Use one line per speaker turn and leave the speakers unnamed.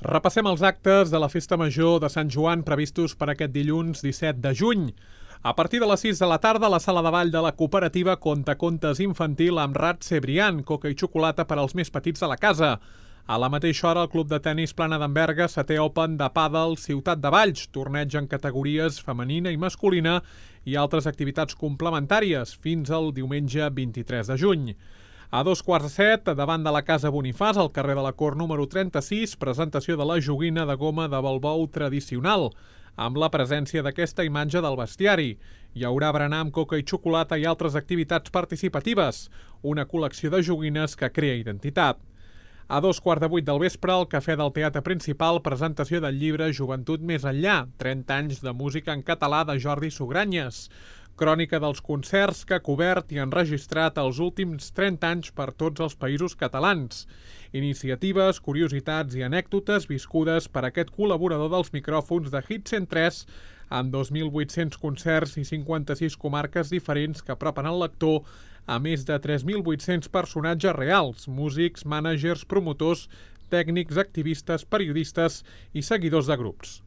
Repassem els actes de la Festa Major de Sant Joan previstos per aquest dilluns 17 de juny. A partir de les 6 de la tarda, la sala de ball de la cooperativa conta contes infantil amb Rat Cebrián, coca i xocolata per als més petits de la casa. A la mateixa hora, el Club de Tenis Plana d'Enverga, setè Open de Pàdel Ciutat de Valls, torneig en categories femenina i masculina i altres activitats complementàries fins al diumenge 23 de juny. A 6:15, davant de la Casa Bonifàs, al carrer de la Cort número 36, presentació de la joguina de goma de balbou tradicional, amb la presència d'aquesta imatge del bestiari. Hi haurà berenar amb coca i xocolata i altres activitats participatives, una col·lecció de joguines que crea identitat. A 7:15 del vespre, al Cafè del Teatre Principal, presentació del llibre Joventut més enllà, 30 anys de música en català de Jordi Sugranyes. Crònica dels concerts que ha cobert i enregistrat els últims 30 anys per tots els països catalans. Iniciatives, curiositats i anècdotes viscudes per aquest col·laborador dels micròfons de Hit 103 amb 2.800 concerts i 56 comarques diferents que apropen el lector a més de 3.800 personatges reals, músics, mànagers, promotors, tècnics, activistes, periodistes i seguidors de grups.